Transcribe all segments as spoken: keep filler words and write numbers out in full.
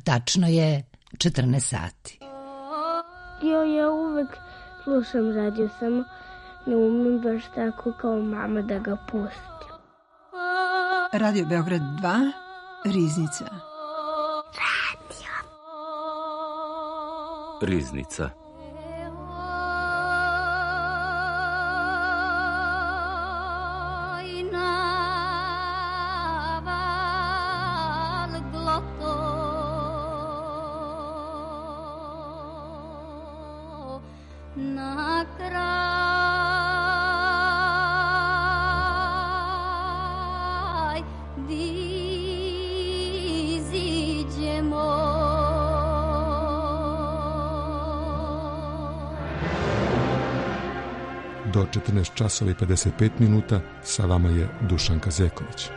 Tačno je četrnaest sati. Jo, ja uvek slušam radio, samo ne umem baš tako kao mama da ga pustim. Radio Beograd dva, Riznica. Radio. Riznica. Do četrnaest časova i pedeset pet minuta sa vama je Dušan Kazeković.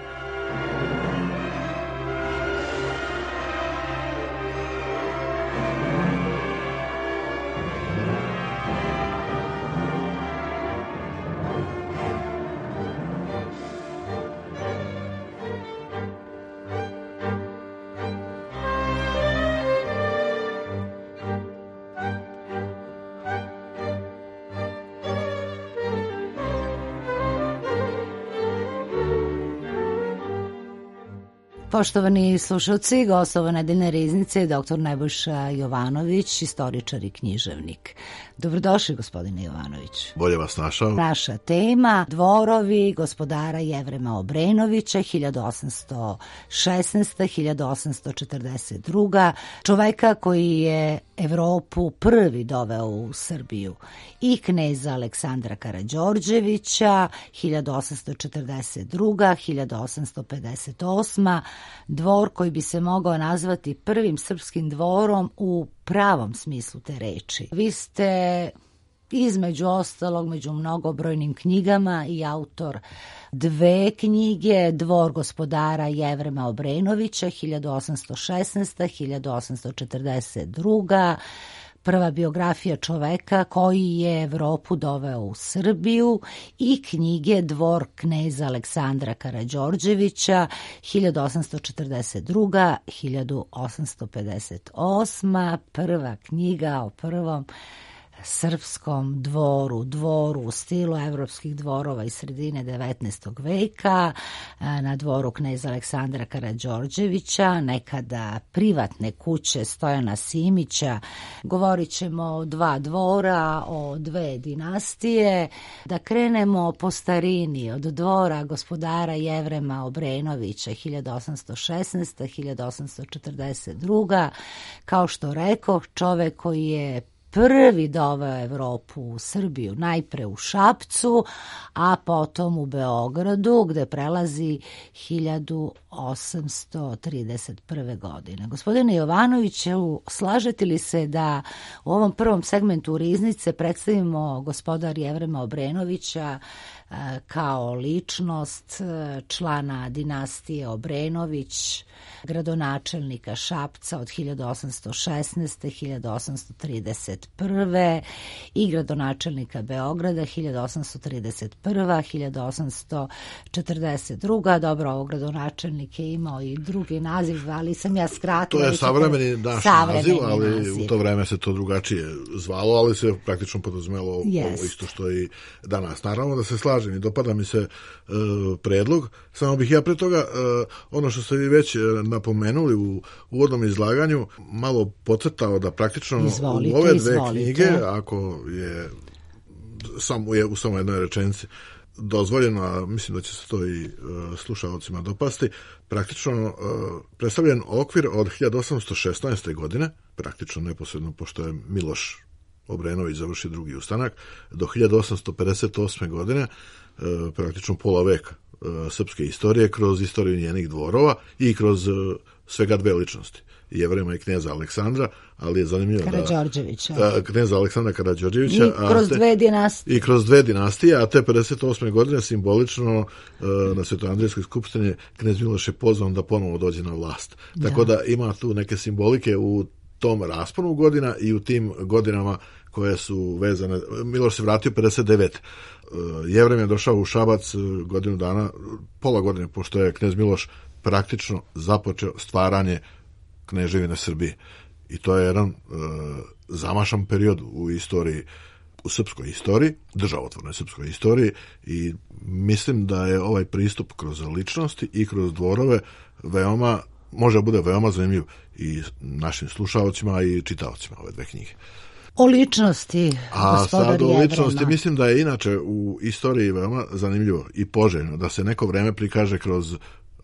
Poštovani slušalci, gostova nedeljne Riznice je doktor Nebojša Jovanović, istoričar i književnik. Dobrodošli, gospodine Jovanović. Bolje vas našao. Naša tema, dvorovi gospodara Jevrema Obrenovića, hiljadu osamsto šesnaesta do hiljadu osamsto četrdeset druga. Čoveka koji je Evropu prvi doveo u Srbiju, i kneza Aleksandra Karađorđevića, hiljadu osamsto četrdeset druga do hiljadu osamsto pedeset osma. Dvor koji bi se mogao nazvati prvim srpskim dvorom u pravom smislu te reči. Vi ste između ostalog među mnogobrojnim knjigama i autor dve knjige, Dvor gospodara Jevrema Obrenovića, hiljadu osamsto šesnaesta do hiljadu osamsto četrdeset druga. Prva biografija čoveka koji je Evropu doveo u Srbiju, i knjige Dvor kneza Aleksandra Karađorđevića, hiljadu osamsto četrdeset druga do hiljadu osamsto pedeset osma. Prva knjiga o prvom srpskom dvoru, dvoru u stilu evropskih dvorova iz sredine devetnaestog veka, na dvoru kneza Aleksandra Karađorđevića, nekada privatne kuće Stojana Simića. Govorit ćemo o dva dvora, o dve dinastije. Da krenemo po starini, od dvora gospodara Jevrema Obrenovića, hiljadu osamsto šesnaesta do hiljadu osamsto četrdeset druga. Kao što rekoh, čovek koji je prvi doveo Evropu u Srbiju, najpre u Šapcu, a potom u Beogradu, gde prelazi hiljadu osamsto trideset prve. godine. Gospodine Jovanoviću, slažete li se da u ovom prvom segmentu Riznice predstavimo gospodar Jevrema Obrenovića kao ličnost, člana dinastije Obrenović, gradonačelnika Šapca od hiljadu osamsto šesnaeste do hiljadu osamsto trideset prve. i gradonačelnika Beograda hiljadu osamsto trideset prva do hiljadu osamsto četrdeset druga. Dobro, ovo gradonačelnik je imao i drugi naziv, ali sam ja skratila. To je savremeni naš naziv, ali naziv. U to vreme se to drugačije zvalo, ali se praktično podrazumelo yes. ovo isto što i danas. Naravno da se slažem i dopada mi se uh, predlog, samo bih ja pre toga uh, ono što ste vi već uh, napomenuli u uvodnom izlaganju malo podcrtao da praktično izvolite, u ove dve izvolite. knjige, ako je samo je u samo jednoj rečenici dozvoljeno, a mislim da će se to i uh, slušalcima dopasti, praktično uh, predstavljen okvir od hiljadu osamsto šesnaeste. godine, praktično neposredno pošto je Miloš Obrenović završio drugi ustanak, do hiljadu osamsto pedeset osme. godine, uh, praktično pola veka uh, srpske istorije kroz istoriju njenih dvorova i kroz uh, svega dve ličnosti. Jevrema i kneza Aleksandra, ali je zanimljivo Karađorđevića. da kneza Aleksandra Karađorđevića i kroz te, dve dinastije. I kroz dve dinastije, a te pedeset osme. godine simbolično uh, na Svetoandrijskoj skupštini knez Miloš je pozvan da ponovo dođe na vlast. Da. Tako da ima tu neke simbolike u tom rasponu godina i u tim godinama koje su vezane. Miloš se vratio pedeset devete. Uh, Jevrem je došao u Šabac godinu dana, pola godine, pošto je knez Miloš praktično započeo stvaranje Kneževine Srbije. I to je jedan e, zamašan period u istoriji, u srpskoj istoriji, državotvornoj srpskoj istoriji, i mislim da je ovaj pristup kroz ličnosti i kroz dvorove veoma, može bude veoma zanimljiv i našim slušalcima i čitaocima ove dve knjige. O ličnosti, a sad o ličnosti, mislim da je inače u istoriji veoma zanimljivo i poželjno da se neko vreme prikaže kroz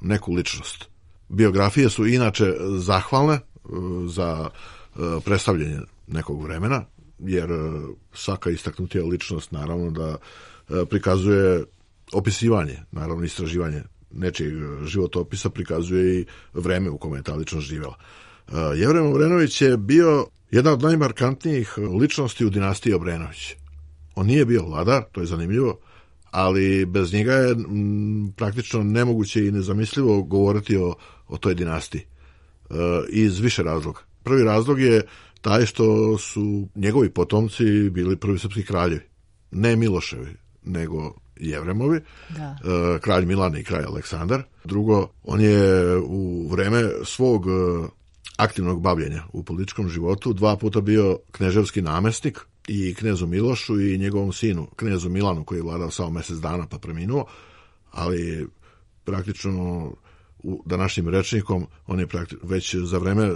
neku ličnost. Biografije su inače zahvalne za predstavljanje nekog vremena, jer svaka istaknutija ličnost naravno da prikazuje opisivanje, naravno istraživanje nečijeg životopisa, prikazuje i vreme u kome je ta ličnost živjela. Jevrem Obrenović je bio jedna od najmarkantnijih ličnosti u dinastiji Obrenović. On nije bio vladar, to je zanimljivo, ali bez njega je m, praktično nemoguće i nezamislivo govoriti o, o toj dinastiji. E, iz više razloga. Prvi razlog je taj što su njegovi potomci bili prvi srpski kraljevi. Ne Miloševi, nego Jevremovi, da. E, kralj Milan i kralj Aleksandar. Drugo, on je u vreme svog aktivnog bavljenja u političkom životu dva puta bio kneževski namestnik i knezu Milošu i njegovom sinu, knezu Milanu, koji je vladao samo mjesec dana pa preminuo, ali praktično u današnjim rečnikom on je već za vreme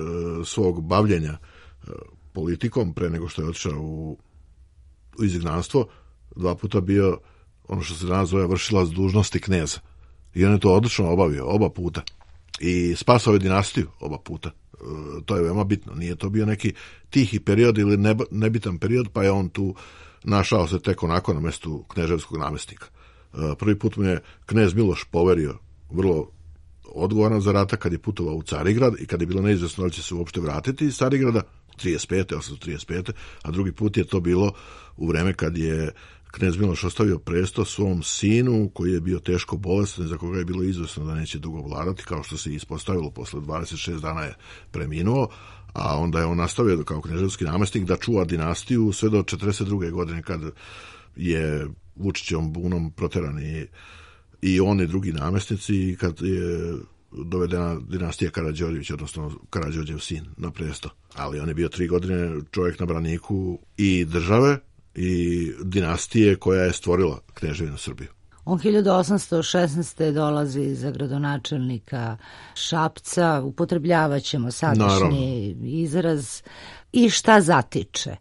svog bavljenja politikom, pre nego što je otišao u, u izgnanstvo, dva puta bio ono što se danas zove vršilac dužnosti kneza. I on je to odlično obavio, oba puta. I spasao je dinastiju oba puta. E, to je veoma bitno. Nije to bio neki tihi period ili neb, nebitan period, pa je on tu našao se tek onako na mjestu kneževskog namestnika. E, prvi put mu je knez Miloš poverio vrlo odgovoran zadatak kad je putovao u Carigrad i kad je bilo neizvjesno da će se uopšte vratiti iz Carigrada, trideset pete, osamsto trideset pete, a drugi put je to bilo u vreme kad je knez Miloš ostavio presto svom sinu koji je bio teško bolestan i za koga je bilo izvjesno da neće dugo vladati, kao što se ispostavilo, posle dvadeset šest dana je preminuo, a onda je on nastavio kao kneževski namestnik da čuva dinastiju sve do četrdeset druge godine kad je Vučićevom bunom proteran i, i on i drugi namestnici i kad je dovedena dinastija Karađorđević, odnosno Karađorđev sin na presto. Ali on je bio tri godine čovjek na braniku i države i dinastije koja je stvorila Kneževinu Srbiju. On hiljadu osamsto šesnaeste. dolazi za gradonačelnika Šapca, upotrebljavaćemo sadašnji Naravno. izraz. I šta zatiče?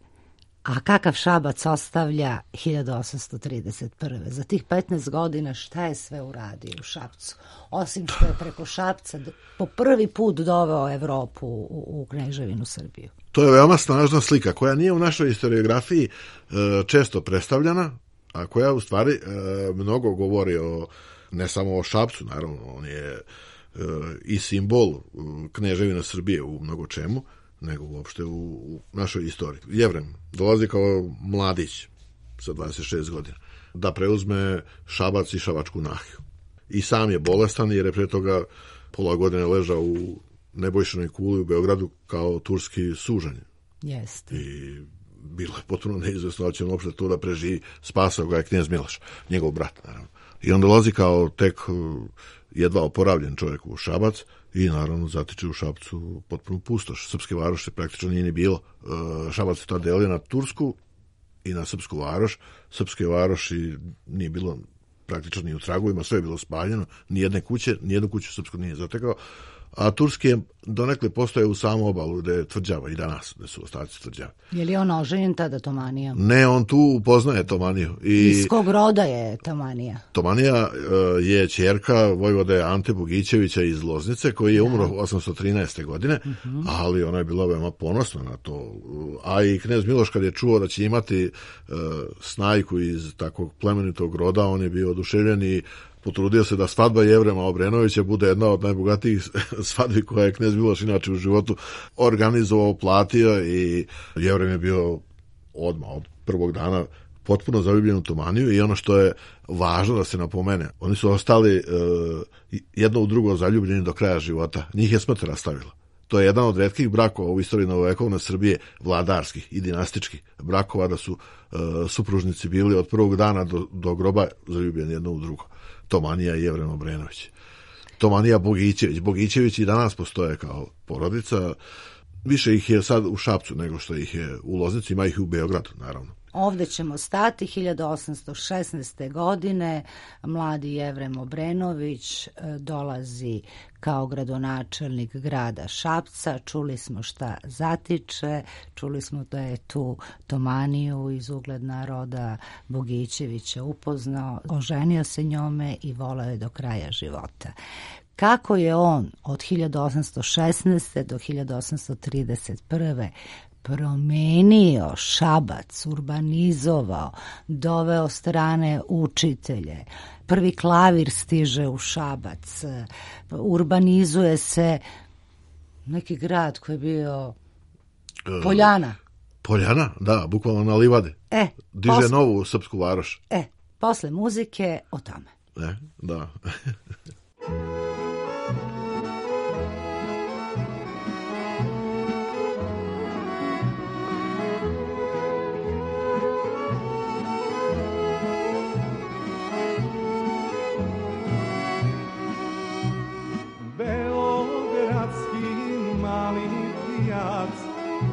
A kakav Šabac ostavlja hiljadu osamsto trideset prve. Za tih petnaest godina šta je sve uradio u Šapcu? Osim što je preko Šapca po prvi put doveo Evropu u, u Kneževinu Srbiju. To je veoma snažna slika koja nije u našoj historiografiji e, često predstavljana, a koja u stvari e, mnogo govori o, ne samo o Šapcu, naravno, on je e, i simbol Kneževine Srbije u mnogo čemu, nego uopšte u, u našoj istoriji. Jevrem dolazi kao mladić sa dvadeset šest godina da preuzme Šabac i Šabačku nahiju. I sam je bolestan jer je pre toga pola godine ležao u Nebojšinoj kuli u Beogradu kao turski sužanj. Jeste. I bilo je potpuno neizvesno da će on uopšte to da preživi. Spasao ga je knez Miloš, njegov brat, naravno. I on dolazi kao tek jedva oporavljen čovjek u Šabac i naravno zatiče u Šapcu potpuno pustoš. Srpske varoši praktično nije ni bilo. Šabac je tada delio na Tursku i na Srpsku varoš. Srpske varoši nije bilo praktično ni u tragovima, sve je bilo spaljeno, ni jedne kuće, ni jednu kuću Srpsku nije zatekao. A turski je donekle postoje u samu obalu gde je tvrđava i danas, gde su ostaci tvrđave. Je li on oženjen tada Tomanijom? Ne, on tu upoznaje Tomaniju. I iz kog roda je Tomanija? Tomanija uh, je ćerka vojvode Ante Bogićevića iz Loznice, koji je umro osamsto trinaeste. godine, uh-huh. ali ona je bila veoma ponosna na to. A i knez Miloš kad je čuo da će imati uh, snajku iz takvog plemenitog roda, on je bio oduševljen i potrudio se da svadba Jevrema Obrenovića bude jedna od najbogatijih svadbi koja je knez Miloš inače u životu organizovao, platio i Jevrem je bio odmah od prvog dana potpuno zaljubljen u Tomaniju i ono što je važno da se napomene, oni su ostali uh, jedno u drugo zaljubljeni do kraja života. Njih je smrt rastavila. To je jedan od retkih brakova u istoriji novovekovne Srbije, vladarskih i dinastičkih brakova, da su uh, supružnici bili od prvog dana do, do groba zaljubljeni jedno u drugo. Tomanija i Jevrem Obrenović. Tomanija Bogićević. Bogićević i danas postoje kao porodica. Više ih je sad u Šapcu nego što ih je u Loznici, ima ih i u Beogradu, naravno. Ovde ćemo stati. hiljadu osamsto šesnaeste. godine mladi Jevrem Obrenović dolazi kao gradonačelnik grada Šapca. Čuli smo šta zatiče, čuli smo da je tu Tomaniju iz ugledna roda Bogićevića upoznao, oženio se njome i voleo je do kraja života. Kako je on od hiljadu osamsto šesnaeste. do hiljadu osamsto trideset prve. promenio Šabac, urbanizovao, doveo strane učitelje. Prvi klavir stiže u Šabac, urbanizuje se neki grad koji je bio Poljana. Poljana, da, bukvalno na livade. E, Diže posle, novu srpsku varoš. E, posle muzike o tome. E, da.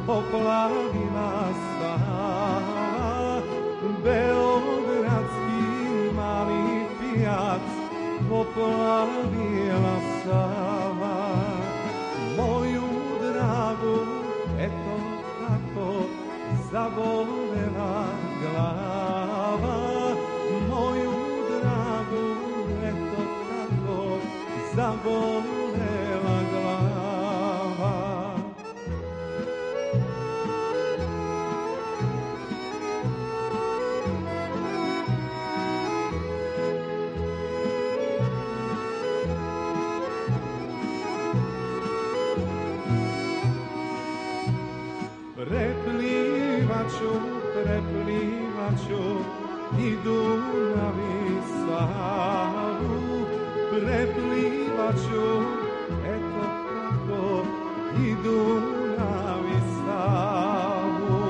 Poplavila Sava, beogradski mali pijac, poplavila Sava, moju dragu, eto tako, zabolela glava, moju dragu, eto tako, zabolela glava. Preplivaću, preplivaću i Dunav i Savu, preplivaću, eto tako, i Dunav i Savu,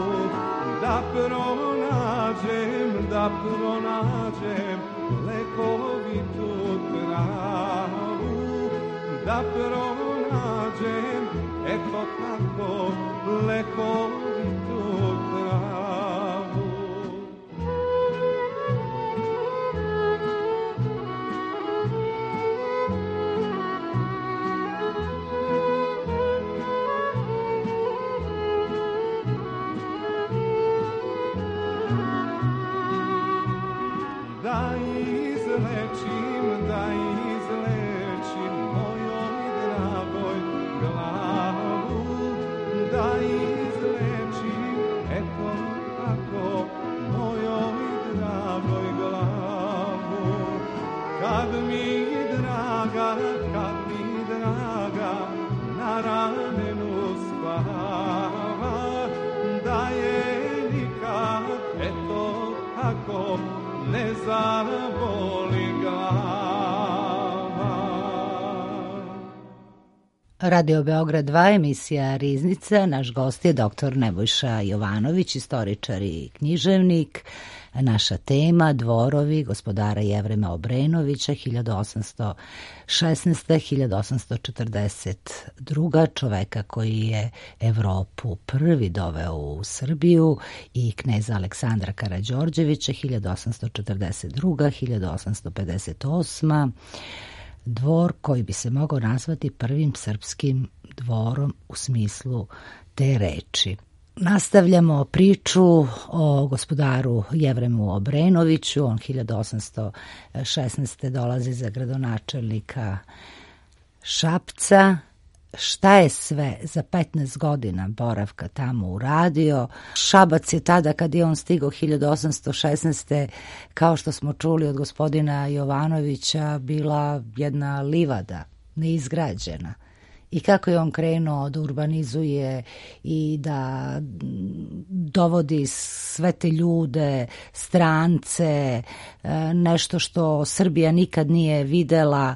da pronađem, da pronađem lekovitu travu, da pronađem, eto tako, lekovitu travu. Da izlečim, da izlečim mojoj dragoj glavu, da izlečim, eto tako, mojoj dragoj glavu. Kad mi draga, kad mi draga na ramenu spava, da je nikad, eto tako, ne zaboli glava. Radio Beograd dva, emisija Riznica. Naš gost je doktor Nebojša Jovanović, istoričar i književnik. Naša tema dvorovi gospodara Jevrema Obrenovića hiljadu osamsto šesnaeste. do hiljadu osamsto četrdeset druge. čoveka koji je Evropu prvi doveo u Srbiju i kneza Aleksandra Karađorđevića hiljadu osamsto četrdeset druge. do hiljadu osamsto pedeset osme. Dvor koji bi se mogao nazvati prvim srpskim dvorom u smislu te reči. Nastavljamo priču o gospodaru Jevremu Obrenoviću. On hiljadu osamsto šesnaeste. dolazi za gradonačelnika Šapca. Šta je sve za petnaest godina boravka tamo uradio? Šabac je tada, kad je on stigao hiljadu osamsto šesnaeste. kao što smo čuli od gospodina Jovanovića, bila jedna livada, neizgrađena. I kako je on krenuo da urbanizuje i da dovodi sve te ljude, strance, nešto što Srbija nikad nije videla.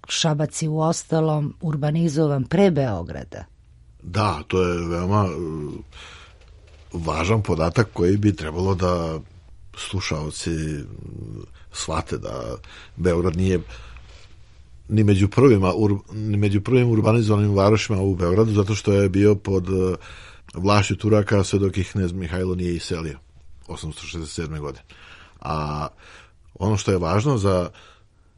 Šabac je u ostalom urbanizovan pre Beograda. Da, to je veoma važan podatak koji bi trebalo da slušaoci shvate, da Beograd nije ni među prvima, ur, ni među prvim urbanizovanim varošima u Beogradu, zato što je bio pod uh, vlašću Turaka sve dok ih knez Mihajlo nije iselio osamsto šezdeset sedme. godine. A ono što je važno za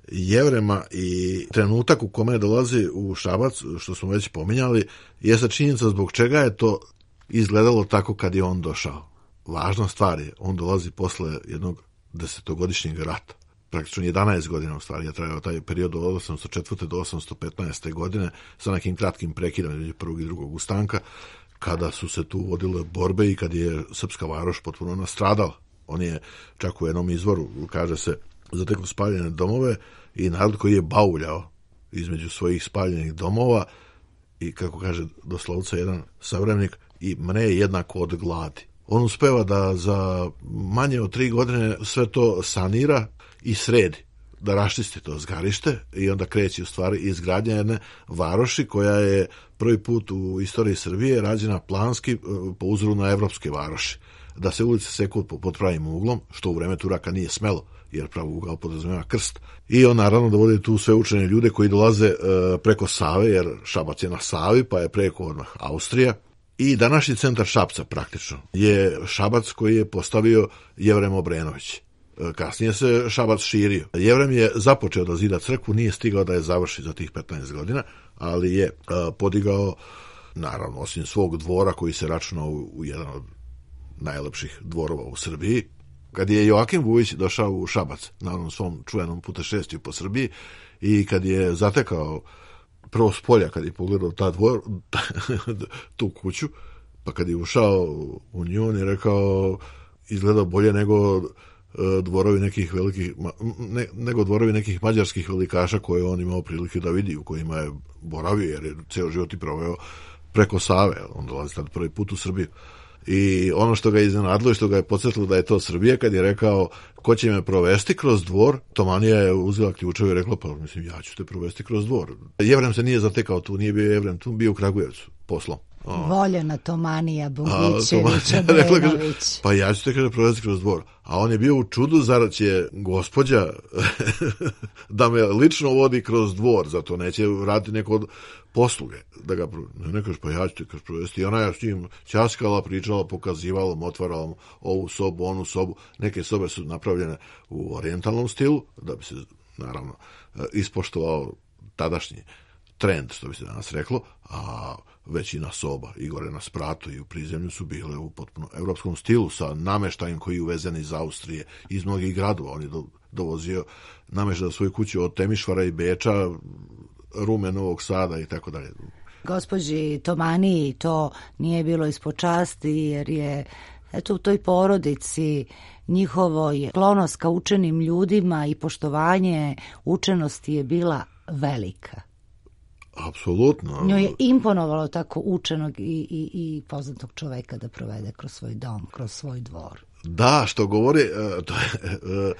Jevrema i trenutak u kome dolazi u Šabac, što smo već pominjali, je činjenica zbog čega je to izgledalo tako kad je on došao. Važna stvar je, on dolazi posle jednog desetogodišnjeg rata. Praktično jedanaest godina u stvari je trajao taj period od osamsto četvrte do osamsto petnaeste. godine sa nekim kratkim prekidom između prvog i drugog ustanka, kada su se tu vodile borbe i kad je srpska varoš potpuno nastradala. On je čak u jednom izvoru, kaže se, zatekao spaljene domove i narod koji je bauljao između svojih spaljenih domova i, kako kaže doslovca jedan savremenik, i mne je jednako od gladi. On uspeva da za manje od tri godine sve to sanira i sredi, da raščisti to zgarište i onda kreće u stvari izgradnja jedne varoši koja je prvi put u istoriji Srbije rađena planski po uzoru na evropske varoši. Da se ulice seku pod pravim uglom, što u vreme Turaka nije smelo, jer pravi ugao podrazumeva krst. I on naravno dovodi tu sve učene ljude koji dolaze e, preko Save, jer Šabac je na Savi, pa je preko odmah Austrija. I današnji centar Šapca praktično je Šabac koji je postavio Jevrem Obrenović. Kasnije se Šabac širio. Jevrem je započeo da zida crkvu, nije stigao da je završi za tih petnaest godina, ali je a, podigao, naravno, osim svog dvora koji se računao u, u jedan od najlepših dvorova u Srbiji. Kad je Joakim Vujić došao u Šabac na onom svom čuvenom putešestviju po Srbiji i kad je zatekao prvo s polja, kad je pogledao ta dvor, tu kuću, pa kad je ušao u nju, on je rekao, izgleda bolje nego dvorovi nekih velikih, ne, nego dvorovi nekih mađarskih velikaša koje on imao prilike da vidi, u kojima je boravio, jer je ceo život i proveo preko Save. On dolazi tad prvi put u Srbiju. I ono što ga je iznenadilo i što ga je podsjetilo da je to Srbija, kad je rekao ko će me provesti kroz dvor, Tomanija je uzela ključeve i rekla, pa mislim, ja ću te provesti kroz dvor. Jevrem se nije zatekao tu, nije bio Jevrem tu, bio u Kragujevcu poslom. O. Voljena Tomanija Bogićević Obrenović. Pa ja ću te kaže provesti kroz dvor. A on je bio u čudu, zar će gospođa da me lično vodi kroz dvor, zato neće raditi neko od posluge. Da ga, ne kaže, pa ja ću te kaže provesti. I ona je s njim ćaskala, pričala, pokazivala, otvarala ovu sobu, onu sobu. Neke sobe su napravljene u orijentalnom stilu, da bi se, naravno, ispoštovao tadašnji trend, što bi se danas reklo, a većina soba i gore na spratu i u prizemlju su bile u potpuno evropskom stilu sa nameštajem koji je uvezen iz Austrije, iz mnogih gradova. On je do, dovozio nameštaj za svoju kuću od Temišvara i Beča, Rume, Novog Sada i tako dalje. Gospođi Tomaniji to nije bilo ispod časti, jer je eto u toj porodici njihovoj sklonost ka učenim ljudima i poštovanje učenosti je bila velika. Apsolutno. Njoj je imponovalo tako učenog i, i, i poznatog čoveka da provede kroz svoj dom, kroz svoj dvor. Da, što govori, uh, to je, uh,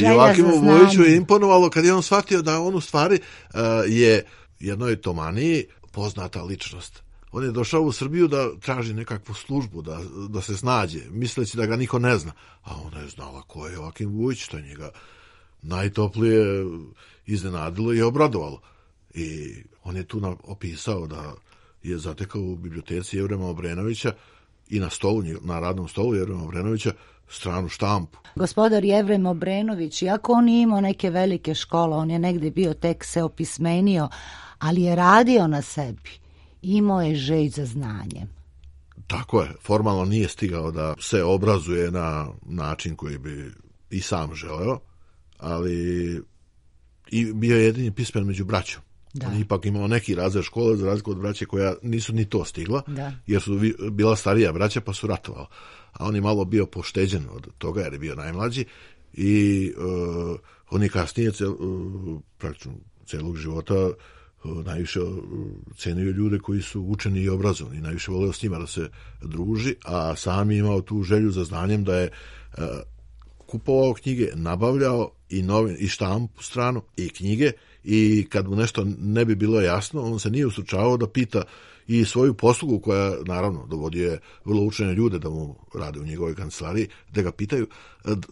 uh, Joakimu Vujiću je imponovalo kad je on shvatio da on u stvari uh, je jednoj Tomaniji poznata ličnost. On je došao u Srbiju da traži nekakvu službu, da, da se snađe, misleći da ga niko ne zna. A ona je znala ko je Joakim Vujić, to je njega najtoplije iznenadilo i obradovalo. I on je tu opisao da je zatekao u biblioteci Jevrema Obrenovića i na stolu, na radnom stolu Jevrema Obrenovića stranu štampu. Gospodar Jevrem Obrenović, iako on nije imao neke velike škole, on je negde bio tek se opismenio, ali je radio na sebi. Imao je želj za znanjem. Tako je. Formalno nije stigao da se obrazuje na način koji bi i sam želeo, ali i bio je jedini pismen među braćom. Da. On je ipak imao neki razred škole za razliku od braće koja nisu ni to stigla, da. Jer su bila starija braća pa su ratovala. A on je malo bio pošteđen od toga jer je bio najmlađi i uh, on je kasnije cel, uh, praktično celog života uh, najviše uh, cenio ljude koji su učeni i obrazovani, najviše voleo s njima da se druži, a sam je imao tu želju za znanjem da je uh, kupovao knjige, nabavljao i, novin, i štampu stranu i knjige. I kad mu nešto ne bi bilo jasno, on se nije ustručavao da pita i svoju poslugu koja, naravno, dovodio je vrlo učene ljude da mu rade u njegovoj kancelariji, da ga pitaju,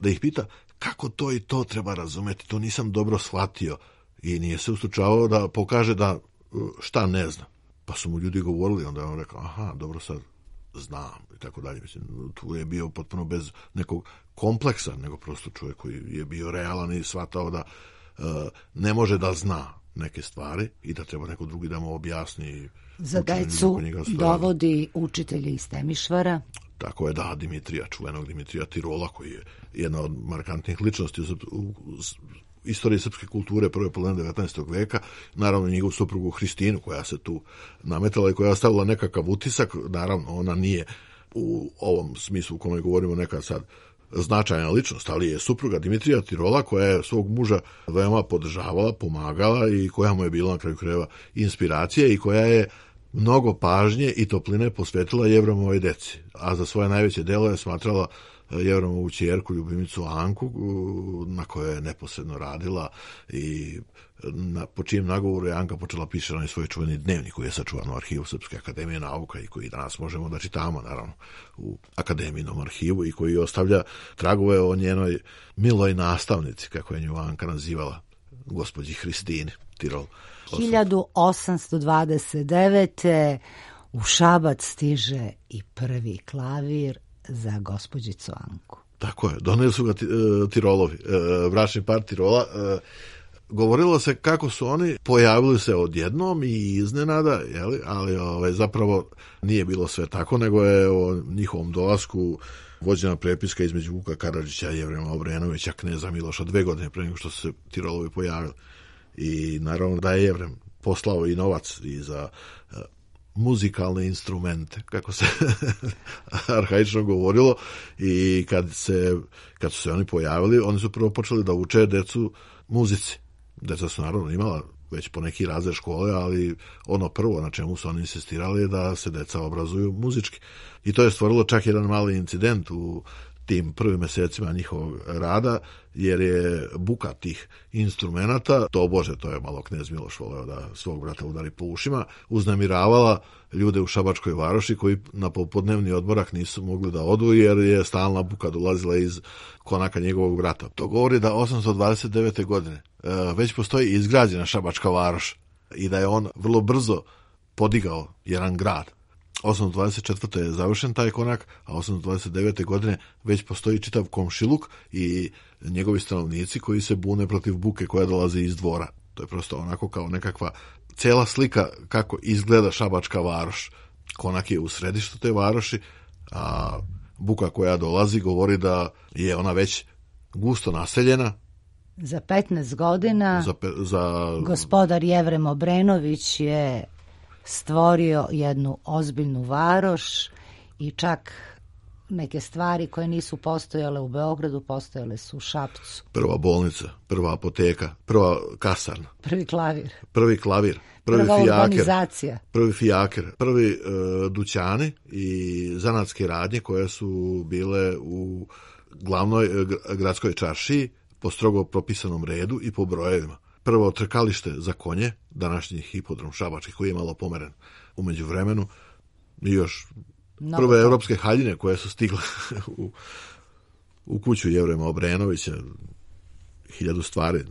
da ih pita kako to i to treba razumeti, to nisam dobro shvatio. i nije se ustručavao da pokaže da šta ne zna. Pa su mu ljudi govorili, onda je on rekao, aha, dobro, sad znam i tako dalje. Mislim, tu je bio potpuno bez nekog kompleksa, nego prosto čovjek koji je bio realan i shvatao da uh, ne može da zna neke stvari i da treba neko drugi da mu objasni. Za decu dovodi učitelje iz Temišvara. Tako je, da, Dimitrija, čuvenog Dimitrija Tirola, koji je jedna od markantnih ličnosti u, u, u istoriji srpske kulture prve polovine devetnaestog veka, naravno njegovu suprugu Hristinu, koja se tu nametala i koja je ostavila nekakav utisak. Naravno, ona nije u ovom smislu u kome govorimo neka sad značajna ličnost, ali je supruga Dimitrija Tirola, koja je svog muža veoma podržavala, pomagala i koja mu je bila na kraju krajeva inspiracija i koja je mnogo pažnje i topline posvetila Jevremovoj deci, a za svoje najveće delo je smatrala Jevremovu ćerku, ljubimicu Anku, na kojoj je neposredno radila i na, po čijem nagovoru je Anka počela piše onaj svoj čuveni dnevnik koji je sačuvan u arhivu Srpske akademije nauka i koji danas možemo da čitamo, naravno, u akademijinom arhivu i koji ostavlja tragove o njenoj miloj nastavnici, kako je nju Anka nazivala, gospođi Hristini Tirol. hiljadu osamsto dvadeset devete. u Šabac stiže i prvi klavir za gospođicu Anku. Tako je, doneli su ga Tirolovi, bračni par Tirola. Govorilo se kako su oni pojavili se odjednom i iznenada, jeli? Ali ovaj, zapravo nije bilo sve tako, nego je o njihovom dolasku vođena prepiska između Vuka Karadžića i Jevrema Obrenovića, kneza Miloša, dve godine pre nego što su se Tirolovi pojavili. I naravno da je Jevrem poslao i novac i za uh, muzikalne instrumente, kako se arhaično govorilo, i kad, se, kad su se oni pojavili, oni su prvo počeli da uče decu muzici. Deca su naravno imala već po neki razred škole, ali ono prvo na čemu su oni insistirali je da se deca obrazuju muzički. I to je stvorilo čak jedan mali incident u tim prvim mesecima njihovog rada, jer je buka tih instrumenata, to bože, to je malo knez Miloš voleo da svog brata udari po ušima, uznemiravala ljude u Šabačkoj varoši koji na popodnevni odmorak nisu mogli da odu jer je stalna buka dolazila iz konaka njegovog brata. To govori da osamsto dvadeset devete. godine već postoji izgrađena Šabačka varoš i da je on vrlo brzo podigao jedan grad. osamsto dvadeset četvrte. je završen taj konak, a osamsto dvadeset devete. godine već postoji čitav komšiluk i njegovi stanovnici koji se bune protiv buke koja dolazi iz dvora. To je prosto onako kao nekakva cela slika kako izgleda Šabačka varoš. Konak je u središtu te varoši, a buka koja dolazi govori da je ona već gusto naseljena. Za petnaest godina za, pe, za... gospodar Jevrem Obrenović je stvorio jednu ozbiljnu varoš i čak neke stvari koje nisu postojale u Beogradu, postojale su u Šapcu. Prva bolnica, prva apoteka, prva kasarna. Prvi klavir. Prvi klavir. Prvi prva fijaker, urbanizacija. Prvi fijaker, prvi uh, dućani i zanatske radnje koje su bile u glavnoj uh, gradskoj čaršiji po strogo propisanom redu i po brojevima. Prvo trkalište za konje, današnji hipodrom Šabački, koji je malo pomeren u međuvremenu, i još no, prve no. evropske haljine koje su stigle u, u kuću Jevrema Obrenovića, hiljadu stvari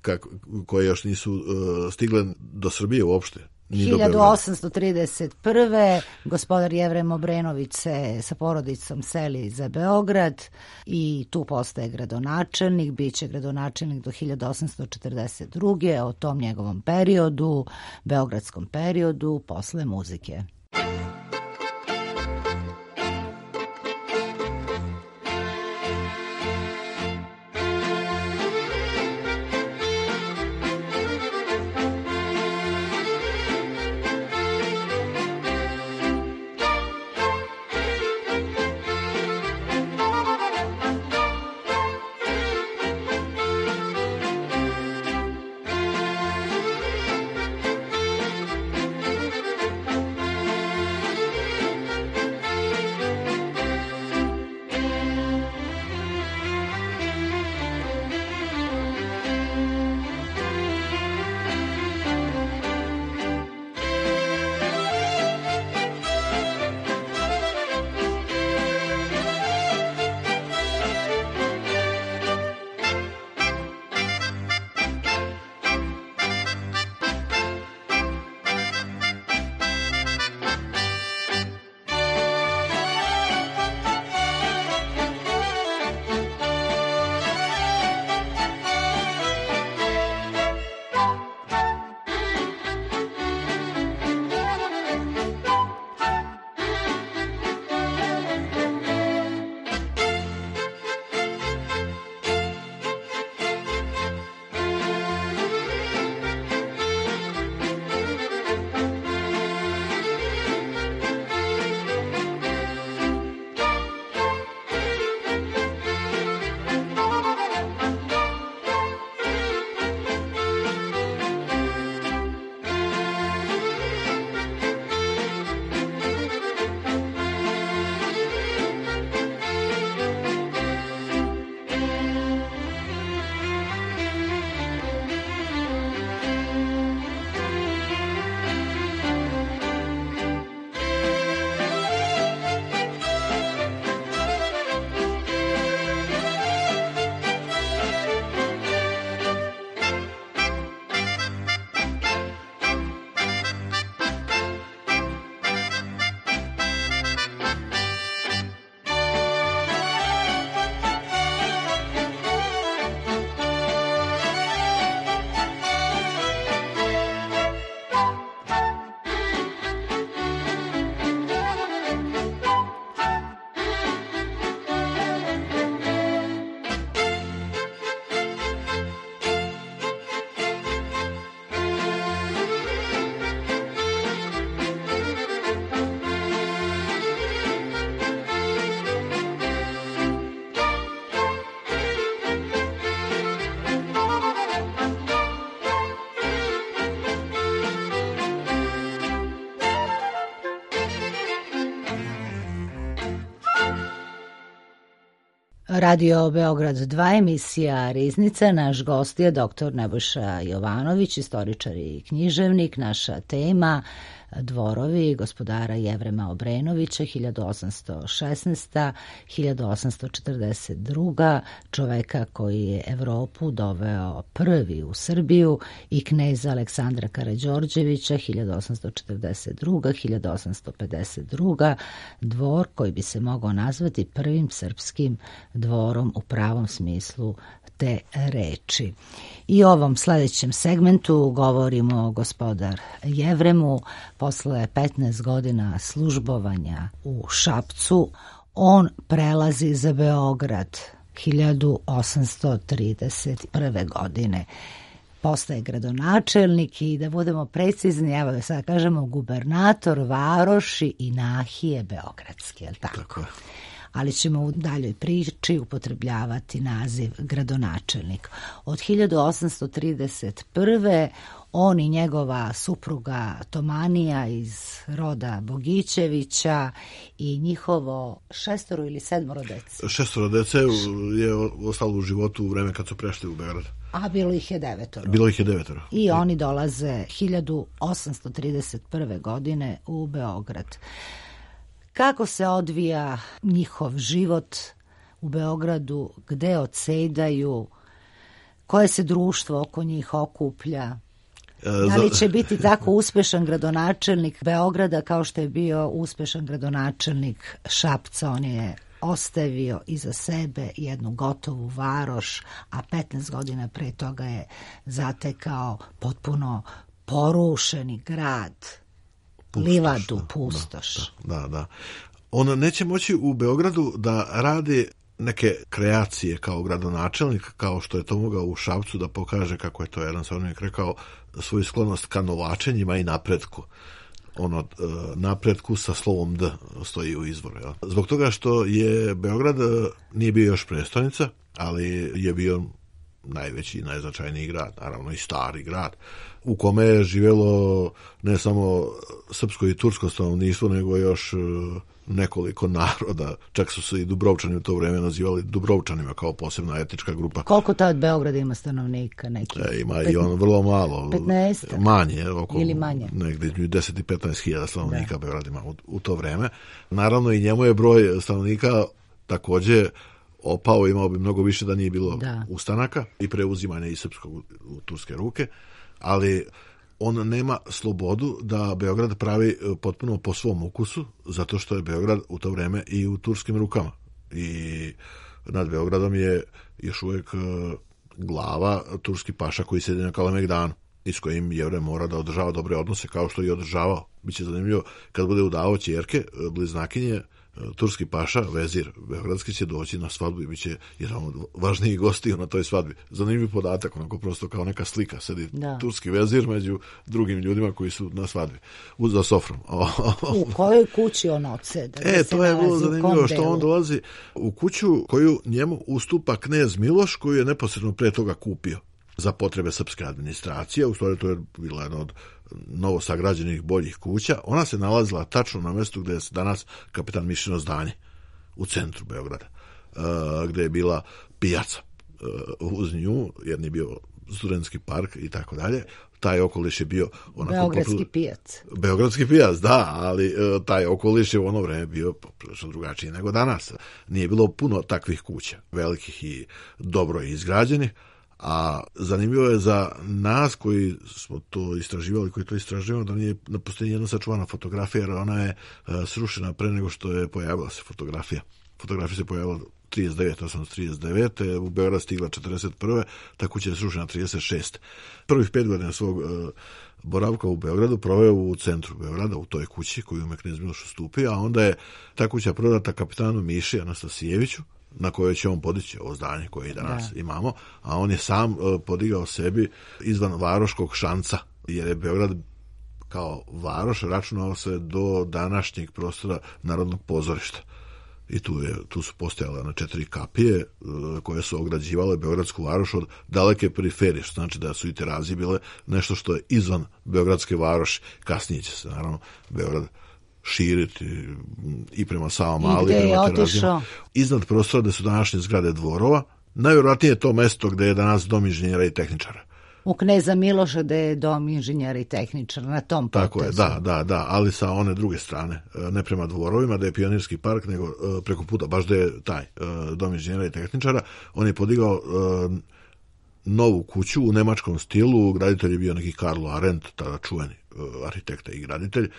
kako, koje još nisu uh, stigle do Srbije uopšte. hiljadu osamsto trideset prve. gospodar Jevrem Obrenović se sa porodicom seli za Beograd i tu postaje gradonačelnik, bit će gradonačelnik do hiljadu osamsto četrdeset druge. o tom njegovom periodu, beogradskom periodu, posle muzike. Radio Beograd dva, emisija Riznica. Naš gost je doktor Nebojša Jovanović, istoričar i književnik. Naša tema dvorovi gospodara Jevrema Obrenovića, hiljadu osamsto šesnaesta do hiljadu osamsto četrdeset druga. čoveka koji je Evropu doveo prvi u Srbiju, i kneza Aleksandra Karađorđevića, hiljadu osamsto četrdeset druga do hiljadu osamsto pedeset druga. Dvor koji bi se mogao nazvati prvim srpskim dvorom u pravom smislu te reči. I u ovom sledećem segmentu govorimo o gospodar Jevremu. Posle petnaest godina službovanja u Šapcu, on prelazi za Beograd hiljadu osamsto trideset prve. godine. Postaje gradonačelnik i, da budemo precizni, evo sad kažemo gubernator varoši i nahije beogradske, je li tako? Tako. Ali ćemo u daljoj priči upotrebljavati naziv gradonačelnik. Od hiljadu osamsto trideset prve. on i njegova supruga Tomanija iz roda Bogićevića i njihovo šestoro ili sedmoro dece. Šestoro dece je ostalo u životu u vreme kad su prešli u Beograd. A bilo ih je devetoro. Bilo ih je devetoro. I I oni dolaze hiljadu osamsto trideset prve. godine u Beograd. Kako se odvija njihov život u Beogradu, gde odsedaju, koje se društvo oko njih okuplja? Da li će biti tako uspešan gradonačelnik Beograda kao što je bio uspešan gradonačelnik Šapca? On je ostavio iza sebe jednu gotovu varoš, a petnaest godina pre toga je zatekao potpuno porušeni grad, pustoš, livadu, pustoš. Da, da, da. On neće moći u Beogradu da radi neke kreacije kao gradonačelnik, kao što je to mogao u Šapcu, da pokaže, kako je to jedan savremenik rekao, svoju sklonost ka novačenjima i napretku. Ono, napretku sa slovom D stoji u izvoru. Ja. Zbog toga što je Beograd nije bio još prestonica, ali je bio najveći i najznačajniji grad, naravno i stari grad, u kome je živjelo ne samo srpsko i tursko stanovništvo, nego još nekoliko naroda. Čak su se i Dubrovčani u to vreme nazivali Dubrovčanima kao posebna etnička grupa. Koliko tad Beograd ima stanovnika? Neki? E, ima Pet... i on vrlo malo. petnaest Manje. Oko, ili manje? Negdje deset i petnaest hiljada stanovnika da. Beograd ima u, u to vreme. Naravno i njemu je broj stanovnika također opao, imao bi mnogo više da nije bilo da. ustanaka i preuzimanja iz srpskog u turske ruke, ali on nema slobodu da Beograd pravi potpuno po svom ukusu, zato što je Beograd u to vreme i u turskim rukama. I nad Beogradom je još uvijek glava turski paša koji sedi na Kalemegdanu i s kojim Jevrej mora da održava dobre odnose, kao što i održavao. Biće zanimljivo kad bude udavao ćerke, bliznakinje, turski paša, vezir beogradski, će doći na svadbu i bit će jedan od važnijih gostiju na toj svadbi. Zanimljiv podatak, onako prosto kao neka slika. Sedi da. turski vezir među drugim ljudima koji su na svadbi. Uz za sofrom. U kojoj kući on odseda? E, to je bilo zanimljivo što on dolazi u kuću koju njemu ustupa knez Miloš, koju je neposredno pre toga kupio za potrebe srpske administracije. U stvari to je bila jedna od novo sagrađenih boljih kuća. Ona se nalazila tačno na mjestu gdje je danas kapetan Mišino zdanje, u centru Beograda, gdje je bila pijaca uz nju, jer nije bio studentski park i tako dalje. Taj okoliš je bio onako Beogradski poput... pijac. Beogradski pijac, da, ali taj okoliš je u ono vreme bio prilično drugačiji nego danas. Nije bilo puno takvih kuća, velikih i dobro izgrađenih. A zanimljivo je za nas koji smo to istraživali, koji to istraživamo, da nije na postoji jedna sačuvana fotografija, jer ona je uh, srušena pre nego što je pojavila se fotografija. Fotografija se pojavila trideset devete, osamsto trideset devete, u Beograd stigla četrdeset prve, ta kuća je srušena trideset šeste. Prvih pet godina svog uh, boravka u Beogradu proveo u centru Beograda, u toj kući koju me knez Miloš ustupio, a onda je ta kuća prodata kapitanu Miši Anastasijeviću, na kojoj će on podići ovo zdanje koje i danas da. imamo, a on je sam uh, podigao sebi izvan varoškog šanca, jer je Beograd kao varoš računao se do današnjeg prostora Narodnog pozorišta. I tu, je, tu su postojale na četiri kapije uh, koje su ograđivale Beogradsku varoš od daleke periferije, što znači da su i terazije bile nešto što je izvan Beogradske varoši. Kasnije će se naravno Beograd širiti i prema Savamali, i prema Terazijama. Iznad prostora gde su današnje zgrade dvorova, najvjerojatnije je to mesto gde je danas dom inženjera i tehničara. U Kneza Miloša gde je dom inženjera i tehničara, na tom potezu. Tako je, da, da, da, ali sa one druge strane, ne prema dvorovima, da je Pionirski park, nego preko puta, baš da je taj dom inženjera i tehničara. On je podigao novu kuću u nemačkom stilu, graditelj je bio neki Karlo Arendt, tada čuveni arhitekta i graditelj,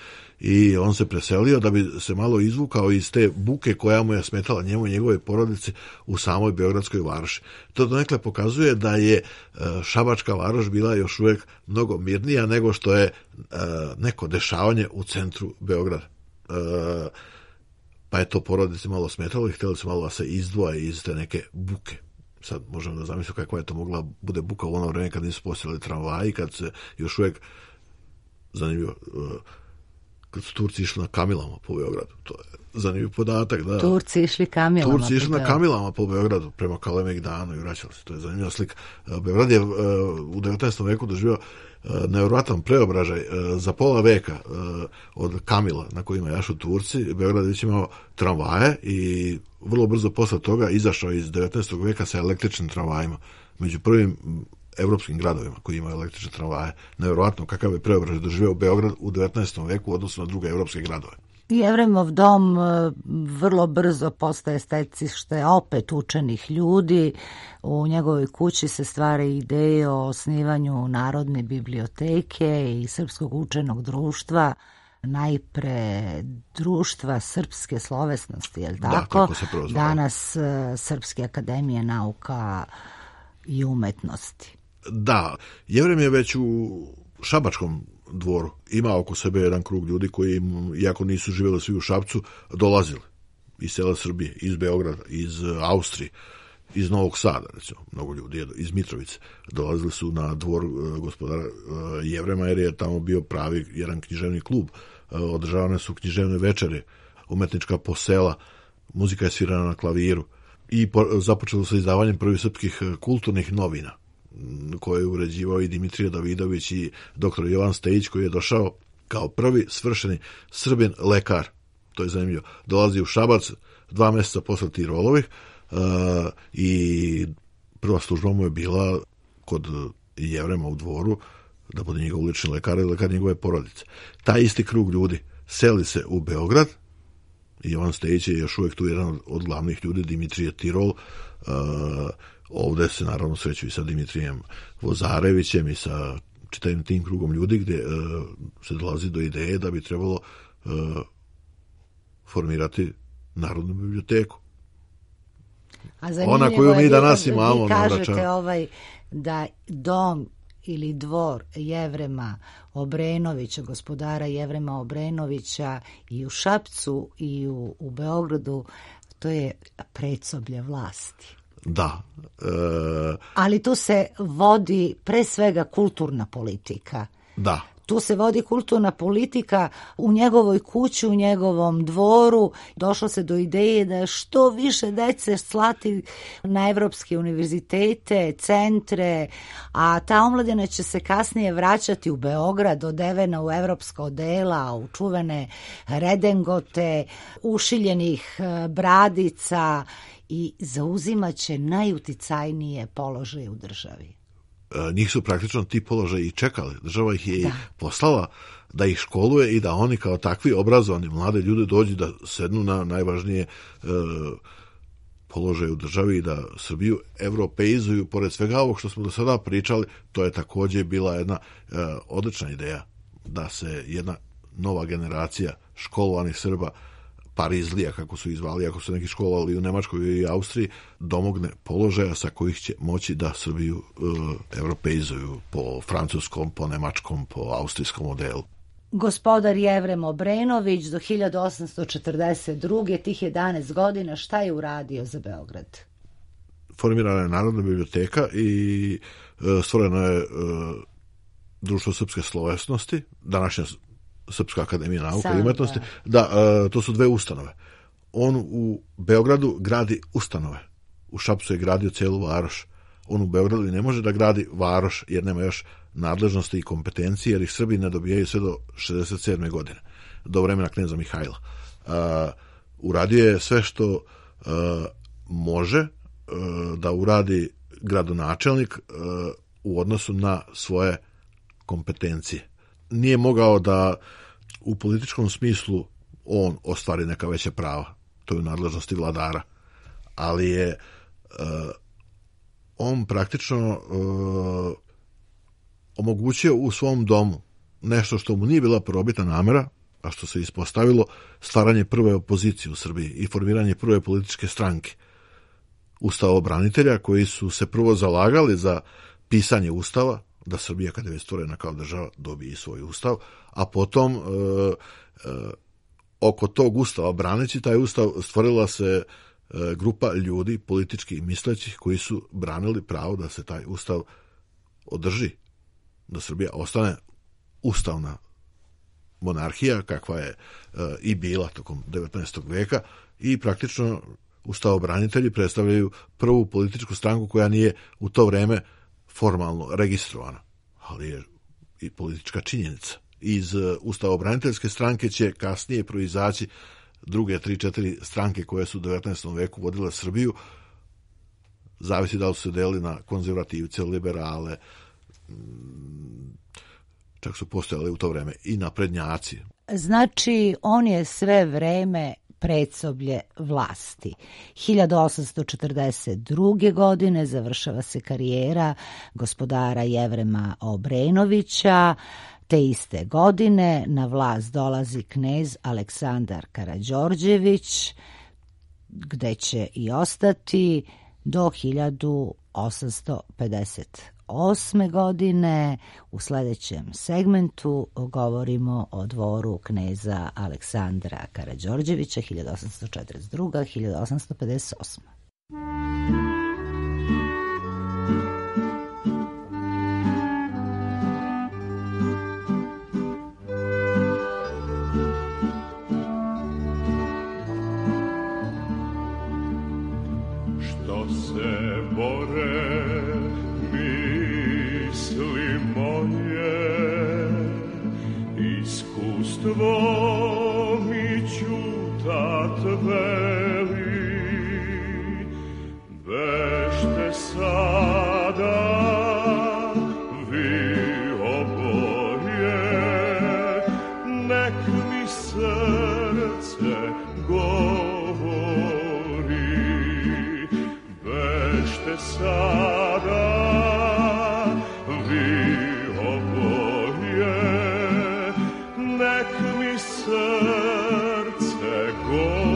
i on se preselio da bi se malo izvukao iz te buke koja mu je smetala njemu i njegove porodice u samoj Beogradskoj varoši. To donekle pokazuje da je Šabačka varoš bila još uvijek mnogo mirnija nego što je neko dešavanje u centru Beograda. Pa je to porodice malo smetalo i htjeli su malo da se izdvoje iz te neke buke. Sad možemo da zamislimo kakva je to mogla bude buka u ono vreme kad nisu postojali tramvaji, kad se još uvijek, zanimljivo, kad su Turci išli na kamilama po Beogradu. To je zanimljiv podatak. Da. Turci išli kamilama. Turci išli na kamilama po Beogradu prema Kalemegdanu i vraćali se. To je zanimljiva slika. Beograd je u devetnaestom veku doživio nevjerojatan preobražaj. Za pola veka od kamila na kojima jašu Turci, Beograd već imao tramvaje i vrlo brzo posle toga izašao iz devetnaestog veka sa električnim tramvajima. Među prvim evropskim gradovima koji imaju električne tramvaje. Nevjerojatno kakav je preobražaj doživio Beograd u devetnaestom veku u odnosu na druge evropske gradove. Jevremov dom vrlo brzo postaje stecište opet učenih ljudi. U njegovoj kući se stvara ideje o osnivanju Narodne biblioteke i Srpskog učenog društva, najpre društva srpske slovesnosti, je li tako? Da, tako se prozvao. Danas Srpske akademije nauka i umetnosti. Da, Jevrem je već u Šabačkom dvoru ima oko sebe jedan krug ljudi koji, iako nisu živjeli svi u Šapcu, dolazili iz sela Srbije, iz Beograda, iz Austrije, iz Novog Sada, recimo, mnogo ljudi iz Mitrovice dolazili su na dvor gospodara Jevrema, jer je tamo bio pravi jedan književni klub. Održavane su književne večere, umetnička posela, muzika je svirana na klaviru i započelo sa izdavanjem prvih srpskih kulturnih novina koje je uređivao i Dimitrije Davidović i doktor Jovan Stejić, koji je došao kao prvi svršeni Srbin lekar. To je zanimljivo. Dolazi u Šabac dva mjeseca posle Tirolovih uh, i prva služba mu je bila kod Jevrema u dvoru da bude njegov lični lekar i lekar njegove porodice. Taj isti krug ljudi seli se u Beograd i Jovan Stejić je još uvijek tu jedan od glavnih ljudi, Dimitrije Tirol. Uh, ovdje se naravno sreću i sa Dimitrijem Vozarevićem i sa čitavim tim krugom ljudi gdje uh, se dolazi do ideje da bi trebalo uh, formirati Narodnu biblioteku. A ona koju mi danas imamo. Vi kažete ovaj, da dom ili dvor Jevrema Obrenovića, gospodara Jevrema Obrenovića i u Šapcu i u, u Beogradu, to je predsoblje vlasti. Da. E... Ali tu se vodi pre svega kulturna politika. Da. Tu se vodi kulturna politika u njegovoj kući, u njegovom dvoru. Došlo se do ideje da što više dece slati na evropske univerzitete, centre, a ta omladina će se kasnije vraćati u Beograd, odevena u evropska odela, u čuvene redengote, ušiljenih bradica i zauzimaće najuticajnije položaje u državi. Njih su praktično ti položaji i čekali. Država ih je da. poslala da ih školuje i da oni kao takvi obrazovani mlade ljudi dođu da sednu na najvažnije e, položaje u državi i da Srbiju evropeizuju. Pored svega ovog što smo do sada pričali, to je također bila jedna e, odlična ideja da se jedna nova generacija školovanih Srba, Parizlija, kako su izvali, ako su neki školovali u Nemačkoj i Austriji, domogne položaja sa kojih će moći da Srbiju e, evropeizuju po francuskom, po nemačkom, po austrijskom modelu. Gospodar Jevrem Obrenović do hiljadu osamsto četrdeset druge tih jedanaest godina, šta je uradio za Beograd? Formirana je Narodna biblioteka i e, stvoreno je e, Društvo srpske slovesnosti, današnja Srpska akademija nauka Sam, i umetnosti. Da, da, to su dve ustanove. On u Beogradu gradi ustanove. U Šapcu je gradio celu varoš. On u Beogradu ne može da gradi varoš jer nema još nadležnosti i kompetencije, jer ih Srbi ne dobijaju sve do šezdeset sedme godine. do vremena kneza Mihajla. Uradio je sve što može da uradi gradonačelnik u odnosu na svoje kompetencije. Nije mogao da u političkom smislu on ostvari neka veća prava, to je u nadležnosti vladara, ali je on praktično omogućio u svom domu nešto što mu nije bila prvobitna namera, a što se ispostavilo stvaranje prve opozicije u Srbiji i formiranje prve političke stranke ustavobranitelja koji su se prvo zalagali za pisanje ustava, da Srbija kada je stvorena kao država dobije svoj ustav, a potom e, e, oko tog ustava, braneći taj ustav, stvorila se e, grupa ljudi politički mislećih koji su branili pravo da se taj ustav održi, da Srbija ostane ustavna monarhija kakva je e, i bila tokom devetnaestog veka i praktično ustavobranitelji predstavljaju prvu političku stranku koja nije u to vreme formalno registrovana, ali je i politička činjenica. Iz ustavobraniteljske stranke će kasnije proizaći druge tri, četiri stranke koje su u devetnaestom veku vodile Srbiju, zavisi da li su se delili na konzervativce, liberale, čak su postojali u to vreme i naprednjaci. Znači, on je sve vreme predsoblje vlasti. hiljadu osamsto četrdeset druge. godine završava se karijera gospodara Jevrema Obrenovića. Te iste godine na vlast dolazi knez Aleksandar Karađorđević, gde će i ostati do hiljadu osamsto pedeset osme. godine. U sledećem segmentu govorimo o dvoru kneza Aleksandra Karađorđevića hiljadu osamsto četrdeset druga do hiljadu osamsto pedeset osme. Što se bore misli moje, iskustvo mi ćutat veli, bežte sada vi oboje, nek mi srce govori, bežte sada vi oboje, nek mi srce govori.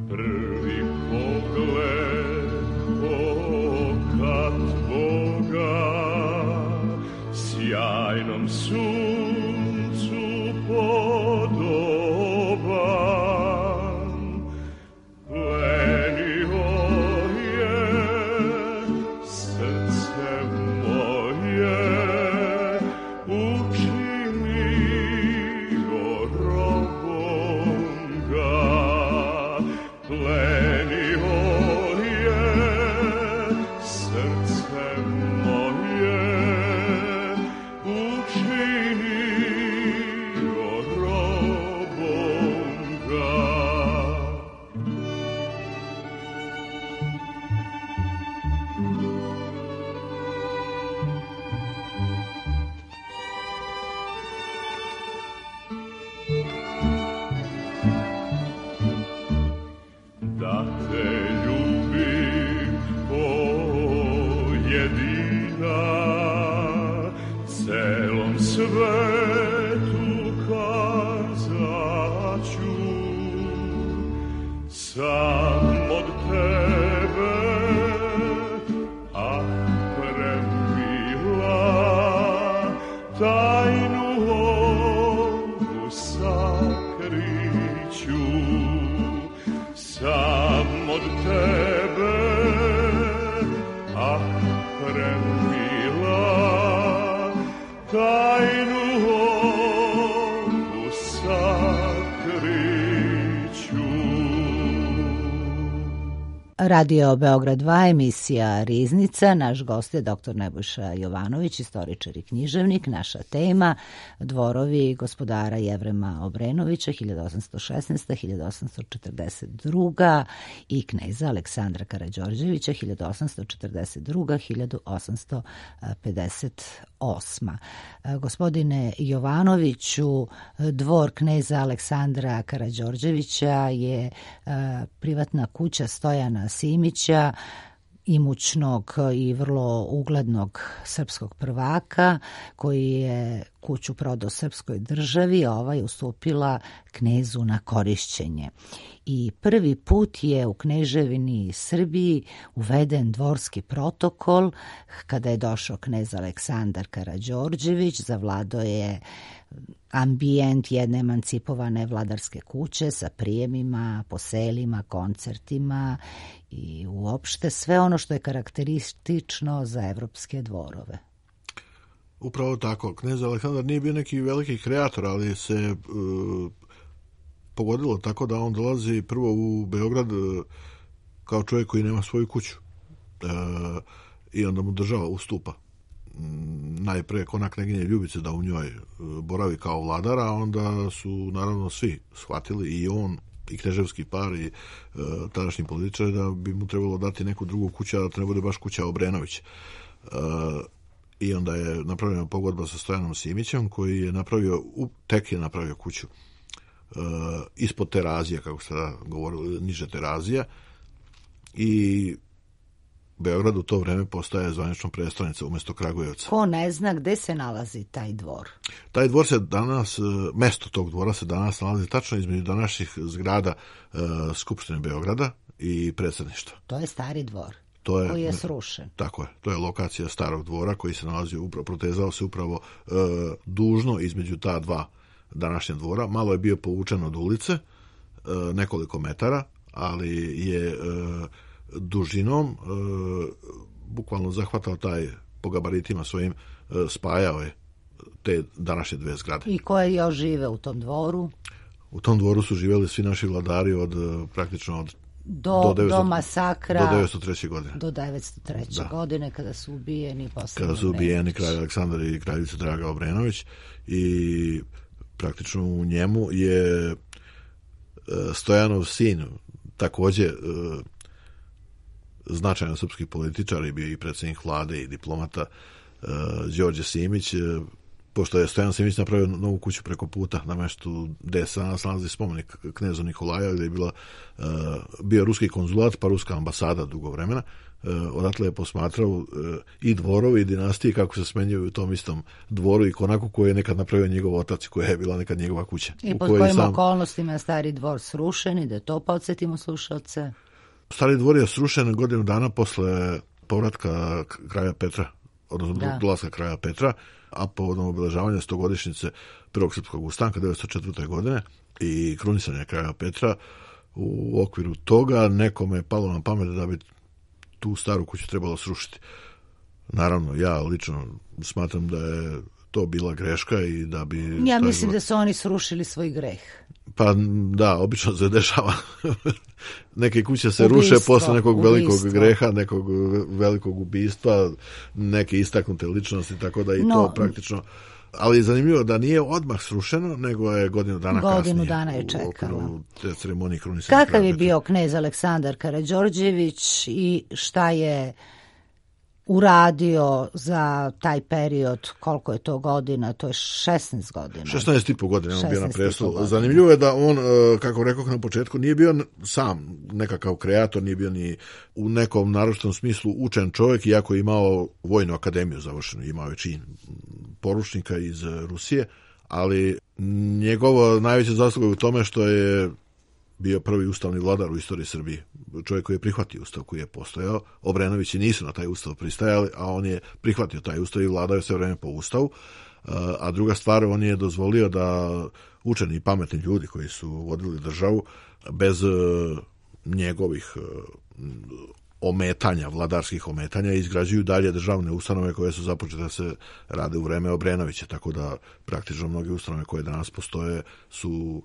Prvi pogled oka tvoga sjajnom suncu podoban, plenio je srce moje, učinio robom ga, plenio je srce moje, učinio robom ga. Da te ljubim, o jedina, celom svetu kazaću, sam od tebe, ah premila, tajnu ovu sakriću, sam od tebe, ah premila, tajnu Radio Beograd dva, emisija Riznica. Naš gost je doktor Nebojša Jovanović, istoričar i književnik. Naša tema dvorovi gospodara Jevrema Obrenovića hiljadu osamsto šesnaesta do hiljadu osamsto četrdeset druga i kneza Aleksandra Karađorđevića hiljadu osamsto četrdeset druga do hiljadu osamsto pedeset osma. Gospodine Jovanoviću, dvor kneza Aleksandra Karađorđevića je privatna kuća Stojana Simića, imućnog i vrlo uglednog srpskog prvaka, koji je kuću prodao srpskoj državi, a ova je ustupila knezu na korišćenje. I prvi put je u Kneževini Srbiji uveden dvorski protokol kada je došao knez Aleksandar Karađorđević, zavladao je ambijent jedne emancipovane vladarske kuće sa prijemima, poselima, koncertima i uopšte sve ono što je karakteristično za evropske dvorove. Upravo tako. Knez Aleksandar nije bio neki veliki kreator, ali se e, pogodilo tako da on dolazi prvo u Beograd e, kao čovjek koji nema svoju kuću. E, I onda mu država ustupa. Najpre kona kneginje Ljubice da u njoj boravi kao vladara, a onda su naravno svi shvatili, i on i kneževski par i e, tadašnji političari, da bi mu trebalo dati neku drugu kuću, a da to ne bude baš kuća Obrenović. E, I onda je napravljena pogodba sa Stojanom Simićem, koji je napravio, tek je napravio kuću e, ispod Terazija, kako se da govorili, niže Terazija, i Beograd u to vreme postaje zvanično prestolnica umjesto Kragujevca. Ko ne zna gde se nalazi taj dvor? Taj dvor se danas, mesto tog dvora se danas nalazi tačno između današnjih zgrada e, Skupštine Beograda i predsjedništva. To je stari dvor. To je, koji je srušen. Tako je. To je lokacija starog dvora koji se nalazi, upravo, protezao se upravo e, dužno između ta dva današnja dvora. Malo je bio povučen od ulice, e, nekoliko metara, ali je e, dužinom e, bukvalno zahvatao taj, po gabaritima svojim, e, spajao je te današnje dve zgrade. I koje još žive u tom dvoru? U tom dvoru su živjeli svi naši vladari od praktično od Do, do, devetsto, do masakra, do devetsto treće godine. Do devetsto treće godine, kada su ubijeni posle Kada su ubijeni kralj Aleksandar i kraljica Draga Obrenović, i praktično u njemu je Stojanov sin, također značajan srpski političar, i bio i predsjednik vlade i diplomata, Đorđe Simić. Pošto je Stojan Simić napravio novu kuću preko puta na meštu gde se nalazi spomenik knezu Nikolaja, gde je bila, uh, bio ruski konzulat pa ruska ambasada dugo vremena. Uh, odatle je posmatrao uh, i dvorovi i dinastije kako se smenjuju u tom istom dvoru i konaku koju je nekad napravio njegov otac, koja je bila nekad njegova kuća. I pod kojim sam... okolnostima je stari dvor srušen, i da to podsjetimo slušalce? Stari dvor je srušen godinu dana posle povratka kralja Petra, odnosno da. dolaska kralja Petra, a povodom obeležavanja stogodišnjice prvog srpskog ustanka devetsto četvrte. godine i krunisanja kralja Petra, u okviru toga nekome je palo na pamet da bi tu staru kuću trebalo srušiti. Naravno, ja lično smatram da je to bila greška i da bi... Ja mislim dvor... da su oni srušili svoj greh. Pa da, obično se dešava. Neke kuće se ubistvo, ruše posle nekog ubistvo. velikog greha, nekog velikog ubistva, neke istaknute ličnosti, tako da i no, to praktično... Ali je zanimljivo da nije odmah srušeno, nego je godinu dana godinu kasnije. Godinu dana je čekalo. U te ceremoniji krunisanja. Kakav je bio knez Aleksandar Karađorđević i šta je uradio za taj period, koliko je to godina, to je šesnaest godina. šesnaest i po godina on bio na prestolu. Zanimljivo je da on, kako rekao na početku, nije bio sam nekakav kreator, nije bio ni u nekom naročitom smislu učen čovjek, iako je imao vojnu akademiju završenu, imao je čin poručnika iz Rusije, ali njegova najveća zasluga je u tome što je bio prvi ustavni vladar u istoriji Srbije. Čovjek koji je prihvatio ustav koji je postojao. Obrenovići nisu na taj ustav pristajali, a on je prihvatio taj ustav i vladao je sve vreme po ustavu. A druga stvar, on je dozvolio da učeni i pametni ljudi koji su vodili državu bez njegovih ometanja, vladarskih ometanja, izgrađuju dalje državne ustanove koje su započete da se rade u vreme Obrenovića, tako da praktično mnoge ustanove koje danas postoje su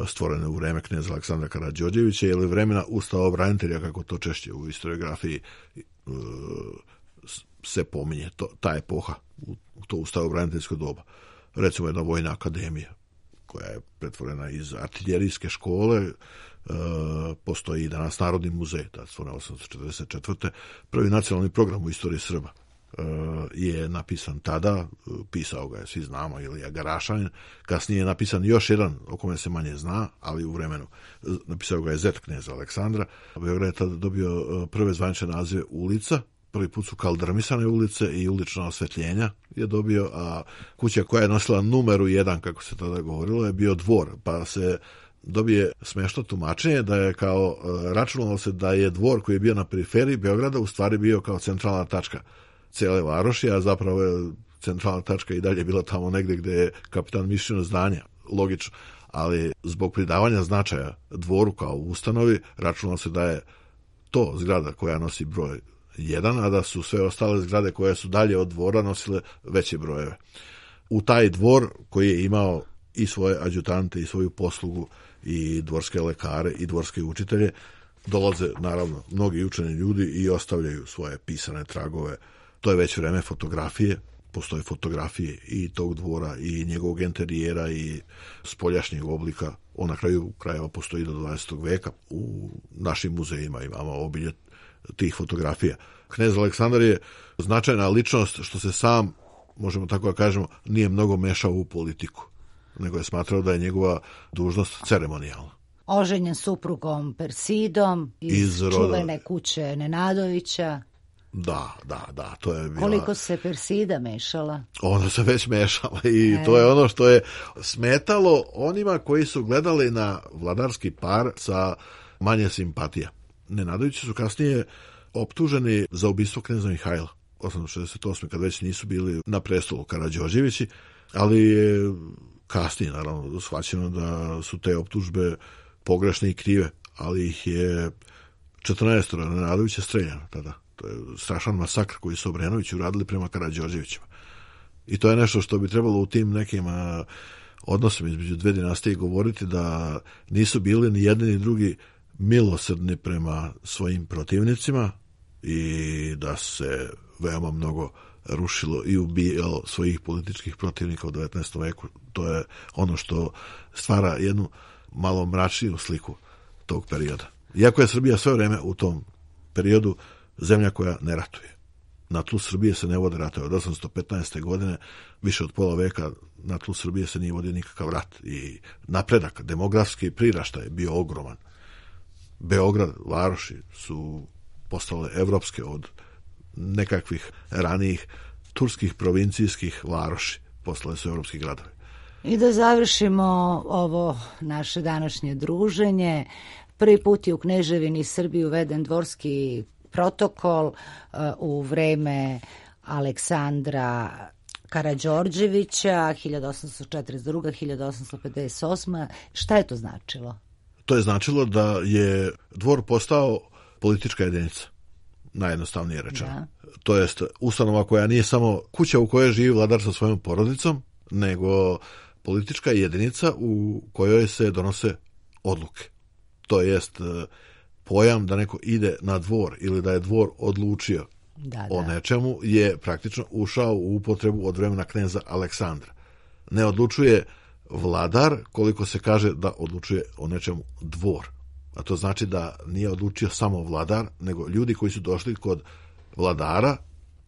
stvorene u vreme kneza Aleksandra Karađorđevića ili vremena ustavobranitelja, kako to češće u historiografiji se pominje, to, ta epoha, u to ustavobraniteljsko doba. Recimo jedna vojna akademija koja je pretvorena iz artiljerijske škole, e, postoji i danas Narodni muzej, tada stvorena osamsto četrdeset četvrte Prvi nacionalni program u istoriji Srba e, je napisan tada, pisao ga je, svi znamo, Ilija Garašanin, kasnije je napisan još jedan, o kome se manje zna, ali u vremenu, napisao ga je zet kneza Aleksandra. Beograd je tada dobio prve zvanične nazive ulica. Prvi put su kaldrmisane ulice i ulična osvetljenja je dobio, a kuća koja je nosila numeru jedan, kako se tada govorilo, je bio dvor, pa se dobije smešno tumačenje da je kao, računalo se da je dvor koji je bio na periferiji Beograda u stvari bio kao centralna tačka cele varoši, a zapravo je centralna tačka i dalje bila tamo negde gde je kapitan Mišino zdanja, logično, ali zbog pridavanja značaja dvoru kao ustanovi, računalo se da je to zgrada koja nosi broj jedan, a da su sve ostale zgrade koje su dalje od dvora nosile veće brojeve. U taj dvor koji je imao i svoje adjutante i svoju poslugu i dvorske lekare i dvorske učitelje, dolaze naravno mnogi učeni ljudi i ostavljaju svoje pisane tragove. To je već vreme fotografije, postoje fotografije i tog dvora i njegovog interijera i spoljašnjeg oblika. On na kraju krajeva postoji do dvadesetog veka. U našim muzejima imamo obilje tih fotografija. Knez Aleksandar je značajna ličnost što se sam, možemo tako da kažemo, nije mnogo mešao u politiku, nego je smatrao da je njegova dužnost ceremonijalna. Oženjen suprugom Persidom iz, iz čuvene kuće Nenadovića. Da, da, da, to je bila... Koliko se Persida mešala? Ona se već mešala i e. to je ono što je smetalo onima koji su gledali na vladarski par sa manje simpatija. Nenadovići su kasnije optuženi za ubistvo kneza Mihajla osamsto šezdeset osme kad već nisu bili na prestolu Karađorđevići, ali je kasnije naravno shvaćeno da su te optužbe pogrešne i krive, ali ih je četrnaest Nenadovića streljano tada. To je strašan masakr koji su Obrenovići uradili prema Karađorđevićima. I to je nešto što bi trebalo u tim nekim a, odnosima između dve dinastije govoriti, da nisu bili ni jedni ni drugi milosrdni prema svojim protivnicima i da se veoma mnogo rušilo i ubijalo svojih političkih protivnika u devetnaestom veku. To je ono što stvara jednu malo mračniju sliku tog perioda. Iako je Srbija sve vreme u tom periodu zemlja koja ne ratuje. Na tlu Srbije se ne vode ratove. Od osamsto petnaeste godine, više od pola veka, na tlu Srbije se nije vodio nikakav rat. I napredak, demografski priraštaj je bio ogroman. Beograd, varoši su postale evropske od nekakvih ranijih turskih provincijskih varoši. Postale su evropski gradovi. I da završimo ovo naše današnje druženje. Prvi put je u Kneževini Srbiji uveden dvorski protokol uh, u vreme Aleksandra Karađorđevića hiljadu osamsto četrdeset druga do hiljadu osamsto pedeset osma. Šta je to značilo? To je značilo da je dvor postao politička jedinica, najjednostavnije rečeno. Da. To jest ustanova koja nije samo kuća u kojoj živi vladar sa svojom porodicom, nego politička jedinica u kojoj se donose odluke. To jest pojam da neko ide na dvor ili da je dvor odlučio da, da. o nečemu je praktično ušao u upotrebu od vremena kneza Aleksandra. Ne odlučuje vladar koliko se kaže da odlučuje o nečemu dvor. A to znači da nije odlučio samo vladar, nego ljudi koji su došli kod vladara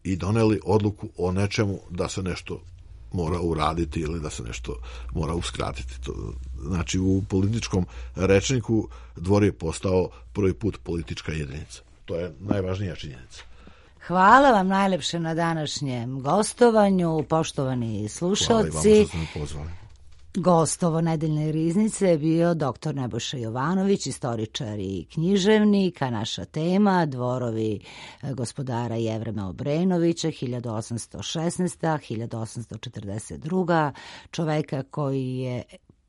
i doneli odluku o nečemu da se nešto mora uraditi ili da se nešto mora uskratiti. To, znači u političkom rečniku dvor je postao prvi put politička jedinica. To je najvažnija činjenica. Hvala vam najlepše na današnjem gostovanju, poštovani slušalci. Hvala i vama što ste me pozvali. Gost ovo nedeljne riznice je bio doktor Nebojša Jovanović, istoričar i književnik, a naša tema dvorovi gospodara Jevrema Obrenovića hiljadu osamsto šesnaeste do hiljadu osamsto četrdeset druga. Čoveka koji je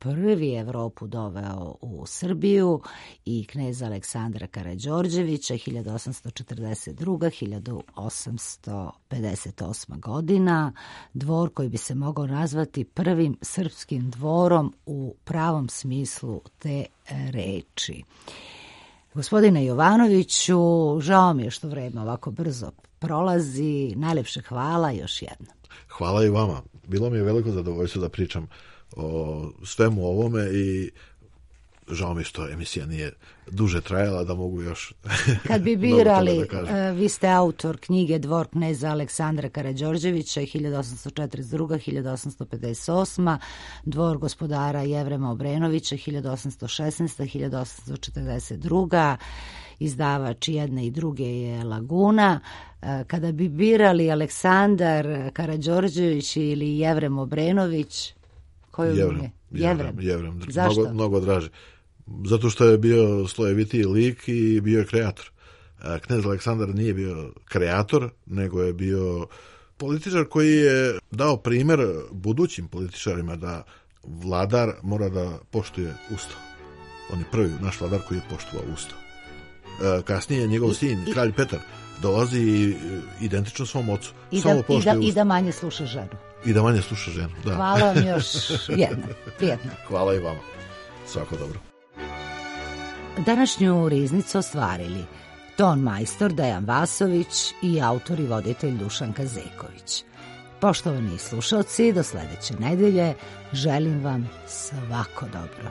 prvi Evropu doveo u Srbiju i kneza Aleksandra Karađorđevića hiljadu osamsto četrdeset druga do hiljadu osamsto pedeset osma godina, dvor koji bi se mogao nazvati prvim srpskim dvorom u pravom smislu te reči. Gospodine Jovanoviću, žao mi je što vreme ovako brzo prolazi, najlepše hvala još jednom. Hvala i vama. Bilo mi je veliko zadovoljstvo da pričam o svemu ovome i žao mi što emisija nije duže trajala, da mogu još kad bi birali, vi ste autor knjige Dvor kneza Aleksandra Karađorđevića hiljadu osamsto četrdeset druga do hiljadu osamsto pedeset osma, Dvor gospodara Jevrema Obrenovića hiljadu osamsto šesnaesta do hiljadu osamsto četrdeset druga, izdavač jedne i druge je Laguna. Kada bi birali Aleksandar Karađorđević ili Jevrem Obrenović, koju Jevrem, je? Jevrem. Jevrem. Zašto? Mnogo, mnogo draže. Zato što je bio slojevitiji lik i bio je kreator. Knez Aleksandar nije bio kreator, nego je bio političar koji je dao primjer budućim političarima da vladar mora da poštuje Ustav. On je prvi naš vladar koji je poštovao Ustav. Kasnije njegov sin, I, kralj Petar, dolazi identično svom ocu. I da, i, da, I da manje sluša ženu. I da manje sluša ženu, da. Hvala vam još jednom. Prijetno. Hvala i vama. Svako dobro. Današnju riznicu ostvarili ton majstor Dejan Vasović i autor i voditelj Dušan Kazeković. Poštovani slušalci, do sledeće nedelje želim vam svako dobro.